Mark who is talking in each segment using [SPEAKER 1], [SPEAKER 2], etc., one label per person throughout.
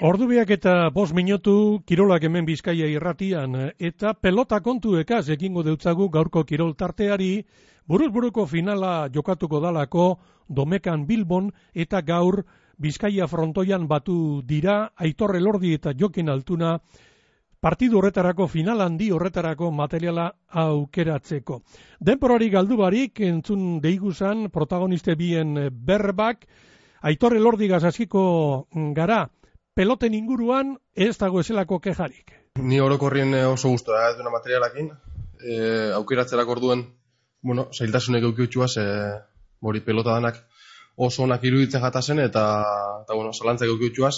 [SPEAKER 1] Ordubiak eta 5 minutu kirolak hemen Bizkaia irratian eta pelota kontu ekaz ekingo deutzagu gaurko kirol tarteari, buruz-buruko finala jokatuko dalako Domekan Bilbon eta gaur Bizkaia frontoian batu dira Aitor Elordi eta Jokin Altuna partidu horretarako final handi horretarako materiala aukeratzeko. Denporari galdu barik entzun deiguzan protagoniste bien berbak, Aitor Elordi gazaziko gara, peloten inguruan ez dago ezelako kejarik.
[SPEAKER 2] Ni orokorrien oso gustora ez duena materialakin, aukeratzerako orduen, zailtasunek eukiutxuaz, hori pelota danak oso onak iruditzen jatazen eta zalantzak eukiutxuaz,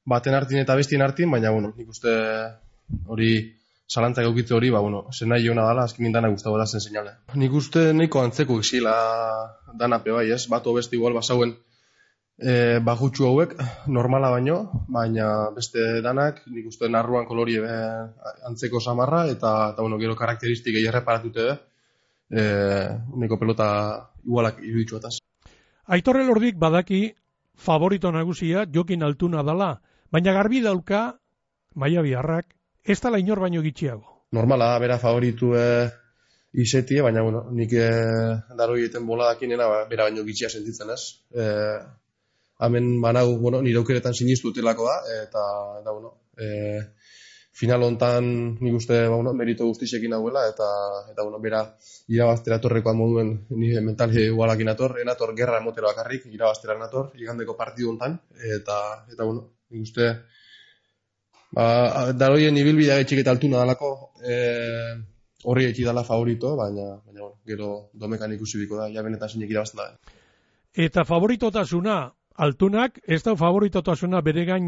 [SPEAKER 2] baten hartin eta bestien hartin, baina nik uste hori zalantzak eukitze hori, zen nahi jona dala, azkenin dana guztago da zen seinale. Nik uste nahiko antzeko exila danape bai, ez? Bato beste igual basauen bajutxu hauek, normala baina beste danak, nik uste narruan kolori antzeko samarra, eta gero karakteristik erreparatute niko pelota igualak iruditxuataz.
[SPEAKER 1] Aitor Elordik badaki favorito nagusia Jokin Altuna dala, baina garbi dauka Maia Biarrak ez dala inor baino gitxiago.
[SPEAKER 2] Normala da, bera favoritu izetie, baina nik daro egiten boladakinena bera baino gitxia sentitzen ez. Hemen banau, nire aukeretan sinistu utelako da, eta final hontan nik uste merito guztixekin hauela, eta bera irabaztera torrekoan moduen nire mentali igualakin enator gerra emotero bakarrik, irabaztera enator, igandeko partidu hontan, eta nik uste daroien ibilbidea etxik eta Altuna dalako horri etxik dala favorito, baina gero Domekan ikusi biko da, ja benetan sinek irabazten da.
[SPEAKER 1] Eta favoritotasuna Altunak ez da favoritotasuna bere gain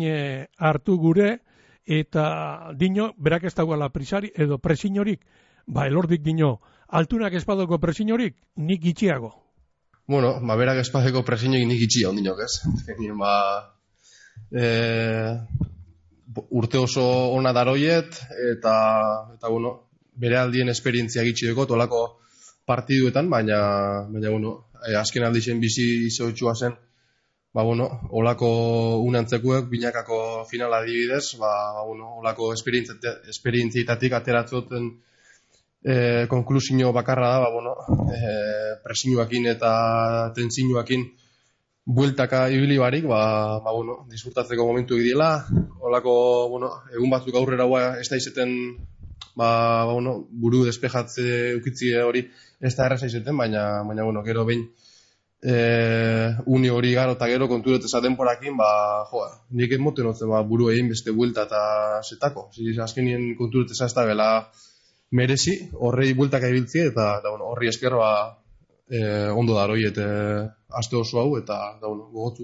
[SPEAKER 1] hartu gure, eta dino, berak ez dagoela prisari edo presinorik, Elordik dino, Altunak ez badoko presinorik, nik gitxiago.
[SPEAKER 2] Berak ez badoko presinorik nik gitxia ondinok, ez? Urte oso ona daroiet, eta bere aldien esperientzia gitxideko tolako partiduetan, baina azken aldixen bizi izotxua zen, olako unantzekuek binakako finala adibidez, olako esperientzietatik ateratzoten konklusio bakarra da, presinuakin eta tensinuakin bueltaka ibili barik, disfrutatzeko momentu egidiela, olako, egun batzuk aurrera ez da izeten, buru despejatze ukitzi hori ez da erraza izeten, baina gero behin uni hori garo eta gero kontureteza denporakin, nik emoten hotzen buru egin beste buelta eta zetako. Azkenien kontureteza ez da bela merezi, horrei bueltaka ibiltzi eta horri eskerroa ondo daroiet aste oso hau eta gogotzu.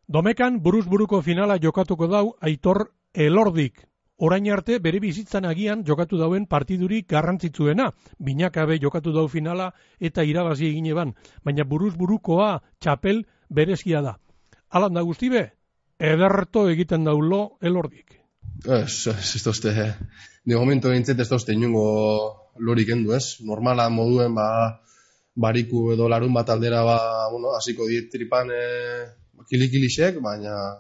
[SPEAKER 1] Domekan buruz-buruko finala jokatuko dau Aitor Elordik. Orain arte bere bizitzan agian jokatu dauen partidurik garrantzitsuena. Binakabe jokatu dau finala eta irabazi egin eban, baina buruz-burukoa txapel berezia da. Alan da guztibe, ederto egiten daulo Elordik.
[SPEAKER 2] Ez tozte, de momento entzet ez tozte inungo lorik endu ez. Normala moduen bariku edo larun bat aldera hasiko diet tripan kilikilixek, baina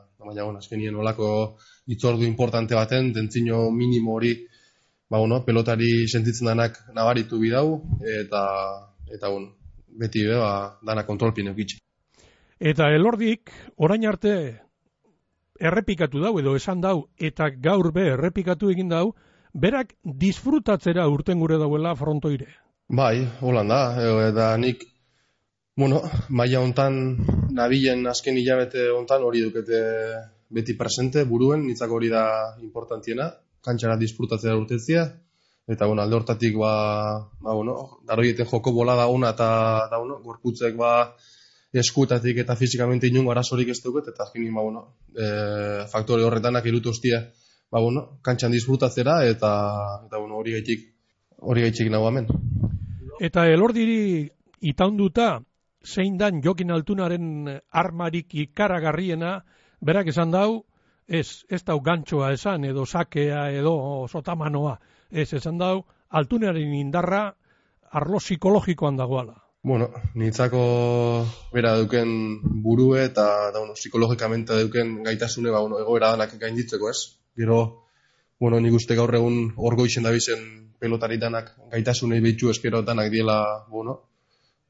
[SPEAKER 2] azkenien olako itzordu importante baten, tentzino minimo hori, pelotari sentitzen danak nabaritu bidau, eta beti dana kontrolpin eukitxe.
[SPEAKER 1] Eta Elordik, orain arte errepikatu dau, edo esan dau, eta gaur errepikatu egin dau, berak disfrutatzera urten gure dauela frontoire.
[SPEAKER 2] Bai, holan da, eta nik, maila hontan, nabilen azken hilabete hontan hori dukete beti presente, buruen, nitzako hori da importantiena, kantxara disfrutatzea urtetzia, eta alde hortatik daroieten joko bolada ona eta gorputzek eskuetatik eta fizikamente inungo arazorik ez duket, eta azkenin faktore horretanak irutu hostia, kantxan disfrutatzera, eta hori gaitxik nago hemen.
[SPEAKER 1] Eta Elordiri itaunduta, zein dan Jokin Altunaren armarik ikaragarriena, berak esan dau, ez dau gantxoa esan, edo sakea, edo sotamanoa, esan dau, Altunaren indarra arlo psikologikoan dagoala.
[SPEAKER 2] Bueno, nitzako bera duken burue eta psikologikamente duken gaitasune egoera danak gainditzeko, ez? Gero, nik uste gaur egun orgoixen dabizen pelotari danak gaitasunei behitu espero danak diela,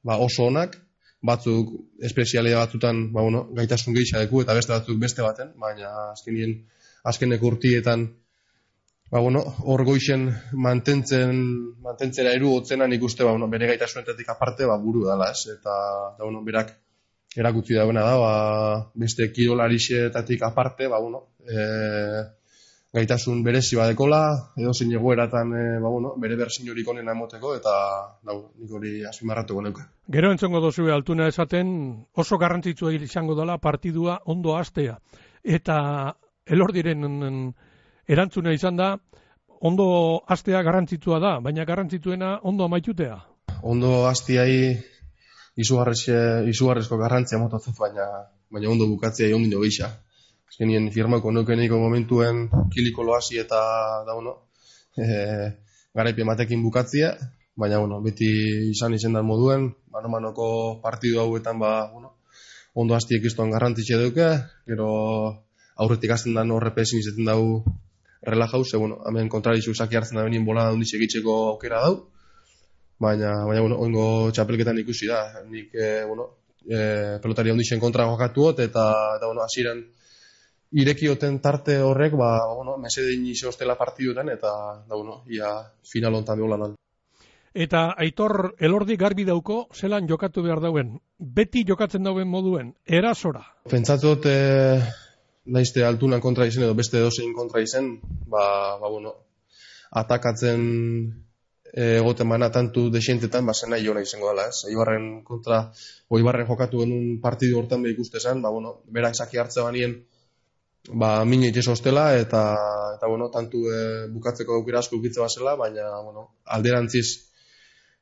[SPEAKER 2] oso onak, batzuk espezialia batzutan, gaitasun gehiago deku eta beste batzuk beste baten, baina azkeneko urtietan orgoixen mantentzera erugotzena nik uste bere gaitasunetatik aparte buru dela, ez? Eta berak erakutsi dagoena da, beste kirolarixetatik aparte, gaitasun berezi badekola, edo zein egoeratan bere berzin horik onena emoteko, eta nik hori azpimarratuko neuke.
[SPEAKER 1] Gero entzongo dozue Altuna esaten oso garrantzitsua izango dela partidua ondo hastea. Eta Elordiren erantzuna izan da, ondo hastea garrantzitsua da, baina garrantzitsuena ondo amaitutea.
[SPEAKER 2] Ondo hastiai izugarrezko garrantzia motatzen, baina ondo bukatzea ondino geixa. Azkenien firmako neukeniko momentuen kiliko loasi eta garaipe matekin bukatzea, baina beti izan izendan moduen, mano-manoko partidu hauetan ondo hastiek iztuan garrantzitxe duke, gero aurretik azten da horrepe ezin izaten dau relajau, hemen kontrarizu zaki hartzen da benien bolada hondiz egitzeko aukera dau, baina oingo txapelketan ikusi da, nik pelotari hondixen kontra jokatuot, eta hasieran irekioten tarte horrek, mesedein izostela partiduetan, eta ia final hontan behola nan.
[SPEAKER 1] Eta Aitor Elordi garbi dauko, zelan jokatu behar dauen, beti jokatzen dauen moduen, erasora.
[SPEAKER 2] Pentsatzot, naizte Altunan kontra izen edo beste edozein kontra izen, atakatzen egoten bana tantu desientetan, zen nahi jona izango dela, ez? Eibarren kontra, Eibarren jokatu genuen partidu hortan behik uste zen, berak zaki hartze banien, min eitez hostela, eta tantu bukatzeko aukera asko ukitze bazela, baina, alderantziz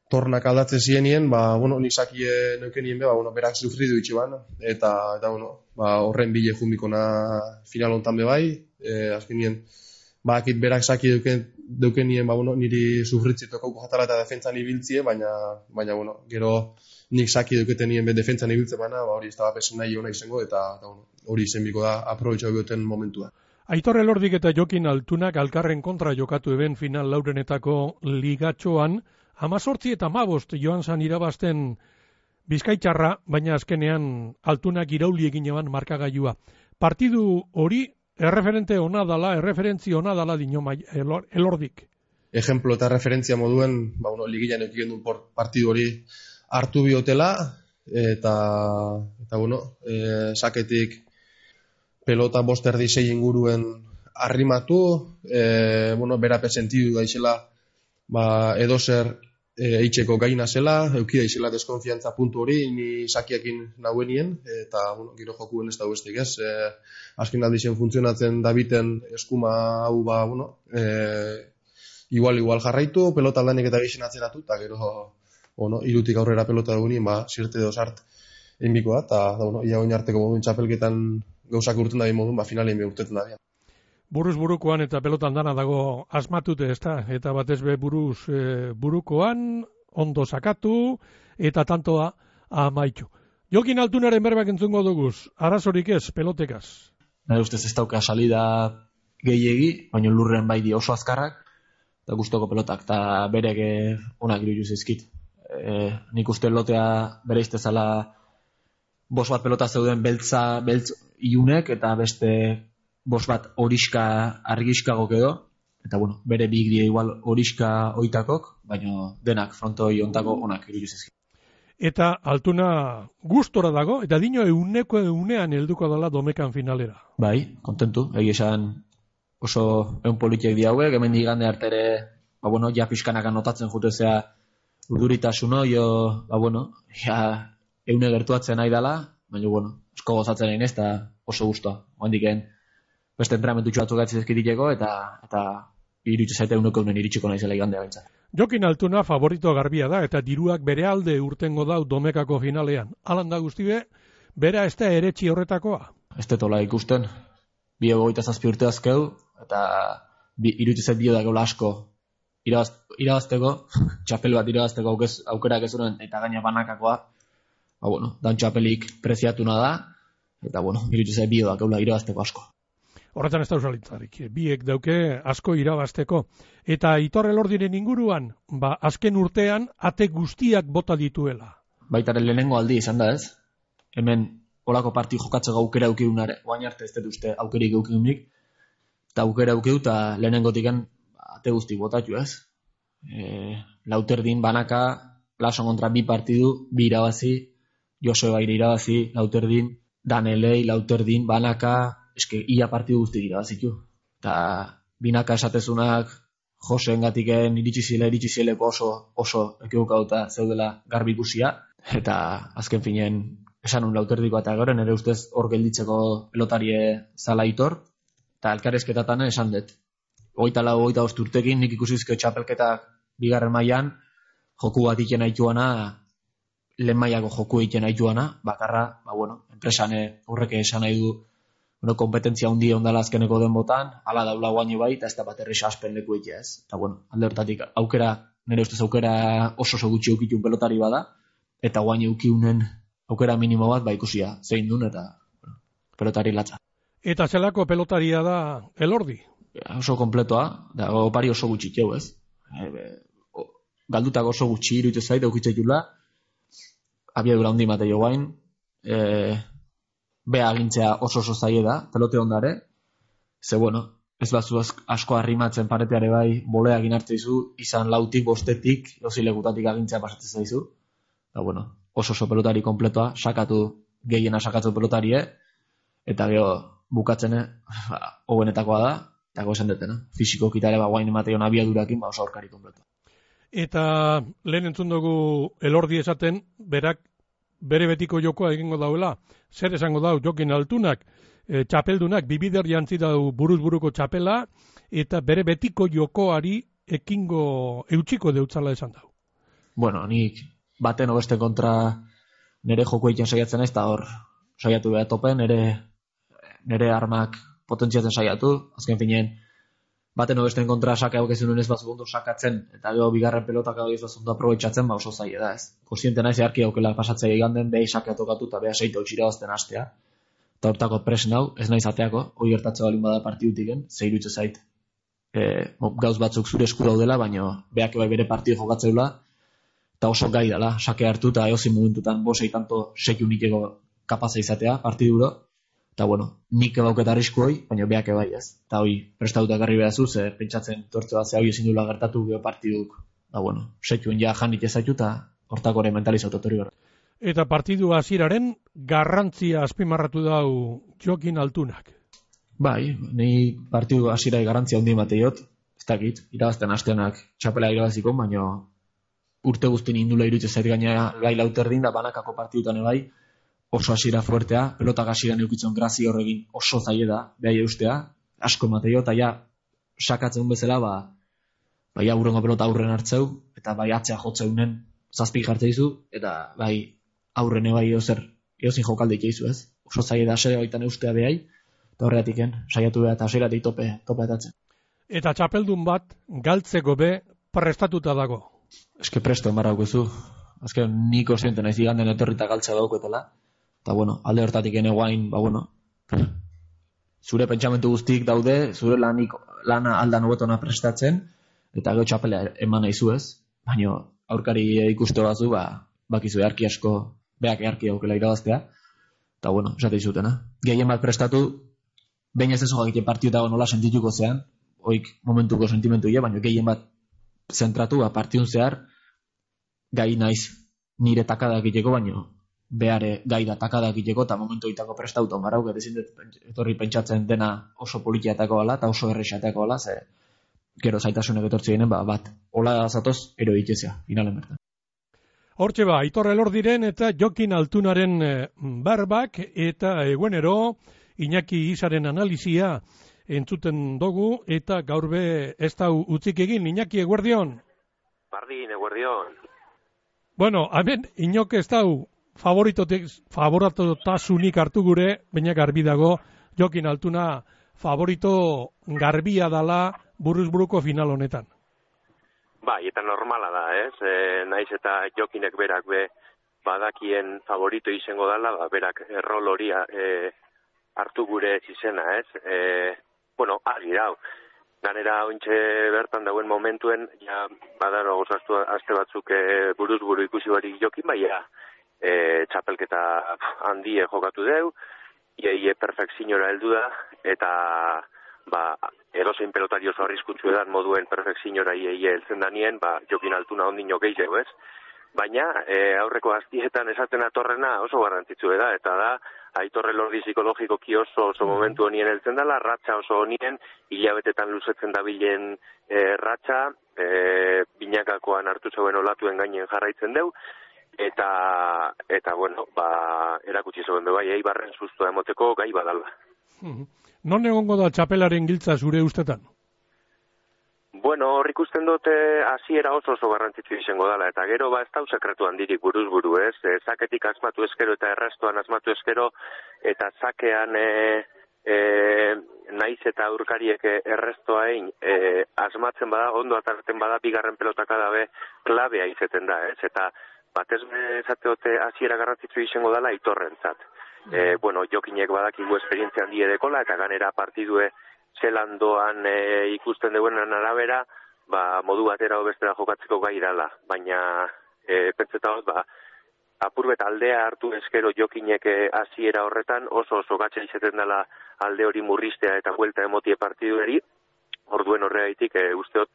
[SPEAKER 2] tornak aldatzen zienien, nik zakie neukenien berak sufridu itxe ban, eta horren bile jumikona final hontan bai, azkenien, akit berak zaki deukenien, niri sufritzitoko jatara eta defentzan ibiltzie, baina, gero nik zaki deuketenien defentzan ibiltze bana, hori ez da bapesen nahi hona izango, eta hori izenbiko da aprobetxau goten momentua.
[SPEAKER 1] Aitor Elordik eta Jokin Altunak alkarren kontra jokatu eben final laurenetako ligatxoan, 18 eta 15 joan zan irabazten Bizkaitarra, baina azkenean Altunak irauli egin eban markagailua. Partidu hori erreferente ona dala, erreferentzi ona dala dino Elordik.
[SPEAKER 2] Ejemplo eta referentzia moduen, ligilan eukien duen partidu hori hartu biotela, eta saketik pelota boster dizei inguruen arrimatu, berape sentidu daizela, edozer eitzeko gaina zela, eukida izela deskonfiantza puntu hori, ni sakiakin nauenien, eta giro jokuen ez da bestik, ez? Azken aldizen funtzionatzen dabiten eskuma hau, igual jarraitu, pelota aldanik eta geixen atzeratu, eta gero, irutik aurrera pelota dugunien, zirte edo sart enbiko da, eta, ia oin arteko moduen txapelketan gauzak urten dabi moduen, finalein beurtetan dabi.
[SPEAKER 1] Buruz burukoan eta pelotan dana dago asmatute, ezta? Eta batez be burukoan, ondo sakatu, eta tantoa amaitu. Jokin Altunaren berbak entzungo duguz, arazorik ez, pelotekaz.
[SPEAKER 3] Nire ustez ez dauka salida gehiegi, baina lurren bai di oso azkarrak, eta guztoko pelotak, eta berek onak iruditu zaizkit. Nik uste lotea bere iztezala bos bat pelota zeuden beltz iunek, eta beste bos bat horiska argiskagok edo, eta bere big die igual horiska oitakok, baina denak frontoi ontako onak iruditu zaizkit.
[SPEAKER 1] Eta Altuna gustora dago, eta dino egunean helduko dela domekan finalera.
[SPEAKER 3] Bai, kontentu, esan oso egun politiek diauek, hemen digande artere, ja pixkanak anotatzen jutezea urduritasun eune gertuatzen nahi dela, baina, esko gozatzen egin ez, eta oso guztua. Oandiken, beste entrenamentu batzuk gatzizkitiko, eta iruditu zaite euneko eunen iritsiko nahi zela igandea bintzat.
[SPEAKER 1] Jokin Altuna favorito garbia da, eta diruak bere alde urtengo dau domekako finalean. Alan da guztibe, bera ez da eretxi horretakoa?
[SPEAKER 3] Ez detola ikusten, 27 urte azkeu, eta iruditu zait bio da gaula asko irabazteko, txapel bat irabazteko aukerak ez zuen, eta gaina banakakoa, dan txapelik preziatuna da, eta iruditzen zait bioak eula irabazteko asko.
[SPEAKER 1] Horretan ez da usalitzarik, biek dauke asko irabazteko. Eta Aitor Elordiren inguruan, azken urtean ate guztiak bota dituela.
[SPEAKER 3] Baitaren lehenengo aldi izan da ez, hemen olako parti jokatzeko aukera aukiunare, oain arte ez dut uste aukerik aukiunik, eta aukera aukiu eta lehenengotiken ate guzti botatu ez. Lauterdin banaka, Lason kontra 2 partidu, 2 irabazi, Joseba irabazi, Lauterdin, Danelei, Lauterdin, banaka, eske ia partidu guzti irabazitu. Eta binaka esatezunak Joseen gatiken iritsi zileko oso ekibukauta zeudela garbi ikusia, eta azken finen esanun Lauterdikoa eta gero nire ustez hor gelditzeko pelotarie zala Aitor, eta elkarrezketatan esan dut. 24-25 urtekin nik ikusizko txapelketak bigarren mailan joku bat iken aituana, lehen mailako joku iken aituana, bakarra, enpresan horrek esan nahi du, kompetentzia hundi ondala azkeneko den botan, ala daula guaino bai, eta ez da bat errez aspen leku egitea ez. Eta alde hortatik, nire ustez aukera oso gutxi eukitun pelotari bada, eta guaino eukiunen aukera minimo bat ikusia zein duen, eta pelotari latza.
[SPEAKER 1] Eta zelako pelotaria da Elordi?
[SPEAKER 3] Oso kompletoa, da opari oso gutxi txeu ez. Galdutak oso gutxi iruditzen zait, eukitzaitula, abiadura handi mate jo guain, bea agintzea oso zaie da, pelote ondare, ze ez bazu asko arrimatzen pareteare bai, boleak inartzeizu, izan 4tik, 5tik, ozilekutatik agintzea pasatzen zaizu, eta oso pelotari kompletoa, gehiena sakatu pelotarie, eta gero bukatzen hobenetakoa da, eta gozen detena, fisiko kitare guain emateion abiadurakin, oso aurkari kompletoa.
[SPEAKER 1] Eta lehen entzun dugu Elordi esaten, berak bere betiko jokoa egingo dauela, zer esango dau Jokin Altunak, txapeldunak, bibider jantzi dau buruz-buruko txapela, eta bere betiko jokoari eutxiko deutzala esan dau.
[SPEAKER 3] Nik baten obesten kontra nire joko egiten saiatzen ez, eta hor saiatu behar topen, nire armak potentziatzen saiatu, azken finen, baten obesten kontra saka aukezen ez bazu ondo sakatzen, eta gero bigarren pelotak hau ez ondo aprobetxatzen, oso zaila da ez. Konsiente naiz earki aukela pasatzea iganden, behi saka tokatu eta beha seite utxira bazten hastea. Eta hortako presen hau, ez naiz ateako, hori gertatze balin bada partidutiken, zeirutze zait, gauz batzuk zure esku daudela, baina beak bai bere partidu jokatzeula, eta oso gai dela, sake hartu eta eozin momentutan bosei tanto sekiu nikeko kapaza izatea partiduro, eta nik ebauket arrisku hoi, baina beak bai ez. Eta hoi, prestatuta garri behazu, ze pentsatzen tortze bat ze hau ezin dula gertatu geho partiduk, sekiuen ja janik ezaitu eta hortako ere mentalizatu hori gara.
[SPEAKER 1] Eta partidu hasieraren garrantzia azpimarratu dau Jokin Altunak.
[SPEAKER 3] Bai, ni partidu hasierai garrantzia handi mateiot, ez dakit, irabazten hasteanak txapela irabaziko, baina urte guztin indula iruditzen zait gaina gai Lauterdin da banakako partidutan bai, oso hasiera fuertea, pelotak hasieran eukitzen grazia horregin oso zaie da, behai eustea, asko mateio, eta ja, sakatzen bezala, bai aurrengo pelota aurren hartzeu, eta bai atzea jotzeunen zazpik jartzeizu, eta bai aurrene bai eozin jokaldeik eizu ez. Oso zaie da asere baitan eustea behai, eta horretiken, saiatu beha eta aseratik tope etatzen.
[SPEAKER 1] Eta txapeldun bat, galtzeko be, prestatuta dago.
[SPEAKER 3] Eske presto enbarra aukezu. Azken niko zienten naiz iganden etorrita galtzea dauketela. Eta alde hortatik eneguain, zure pentsamentu guztik daude, zure lana aldan hobetona prestatzen, eta gero txapela eman nahizu ez. Baina aurkari ikuste bazu, bakizu earki asko, beak earki aukela irabaztea. Eta esate izutena. Gehien bat prestatu, behin ez ezo egiten partiutago nola sentituko zean, oik momentuko sentimentu ia, baina gehien bat zentratu, partidun zehar, gai naiz nire takadak iteko, baina behare gai da takadak iteko, eta momentu itako prestauton barauk, eta ezin etorri pentsatzen dena oso politiatako bala, eta oso errexatako bala, ze gero zaitasunek etortzi ginen, bat, hola zatoz, ero ditezea, finalen bertan.
[SPEAKER 1] Hortxe Aitor Elordiren eta Jokin Altunaren berbak, eta eguenero, Iñaki Isaren analizia entzuten dugu, eta gaurbe ez da utzik egin, Iñaki, eguerdion?
[SPEAKER 4] Bardin, eguerdion.
[SPEAKER 1] Hemen, Iñok ez dau favoritotasunik hartu gure, baina garbi dago, Jokin Altuna favorito garbia dala buruz-buruko final honetan.
[SPEAKER 4] Bai, eta normala da, ez? Naiz eta jokinek berak badakien favorito izango dela, berak rol hori hartu gure izena, ez? Bueno, argi dau. Ganera ointxe bertan dauen momentuen, ja badaro gozaztu aste batzuk buruz buru ikusi barik jokin, baina txapelketa handie jokatu deu, ie perfekziora heldu da, eta edozein pelotari oso arriskutsu edan moduen perfekziora ie heltzen danien, jokin altuna ondino gehiago, ez? Baina aurreko aztietan esaten atorrena oso garrantzitsu da, eta da Aitorre Lordi psikologikoki oso momentu honien heltzen dela, ratxa oso honien, hilabetetan luzetzen dabilen ratxa, binakakoan hartu zeuen olatuen gainen jarraitzen deu, eta bueno, erakutsi zeuen bai, Eibarren sustua emoteko gai badala.
[SPEAKER 1] Non egongo da txapelaren giltza zure ustetan?
[SPEAKER 4] Bueno, hor ikusten dute hasiera oso garrantzitsu izango dela, eta gero ez dau sekretu handirik buruz buru, ez? Zaketik asmatu eskero eta errestoan asmatu eskero, eta zakean naiz eta aurkariek errestoa egin asmatzen bada, ondo atarten bada, bigarren pelotaka dabe klabea izeten da, ez? Eta batez esateote hasiera garrantzitsu izango dela Aitorrentzat. Bueno, jokinek badakigu esperientzia handie dekola, eta ganera partidue zelandoan ikusten deuenan arabera, modu batera bestera jokatzeko gai dala. Baina, pentsetagoz, apurbet aldea hartu eskero jokinek hasiera horretan, oso gatsa izeten dela alde hori murristea eta buelta emotie partidueri, orduen horregaitik usteot,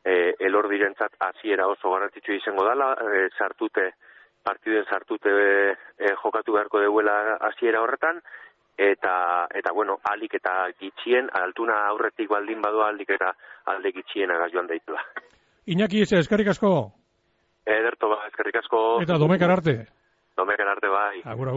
[SPEAKER 4] Elordirentzat hasiera oso garrantzitsu izango dela, partiduen sartute jokatu beharko deuela hasiera horretan, eta bueno, alik eta gitxien, altuna aurretik baldin badoa, alik eta alde gitxiena joan daitela.
[SPEAKER 1] Iñaki, eskerrik asko.
[SPEAKER 4] Ederto, eskerrik asko.
[SPEAKER 1] Eta Domekar arte.
[SPEAKER 4] Domekar arte, bai.
[SPEAKER 1] Agur.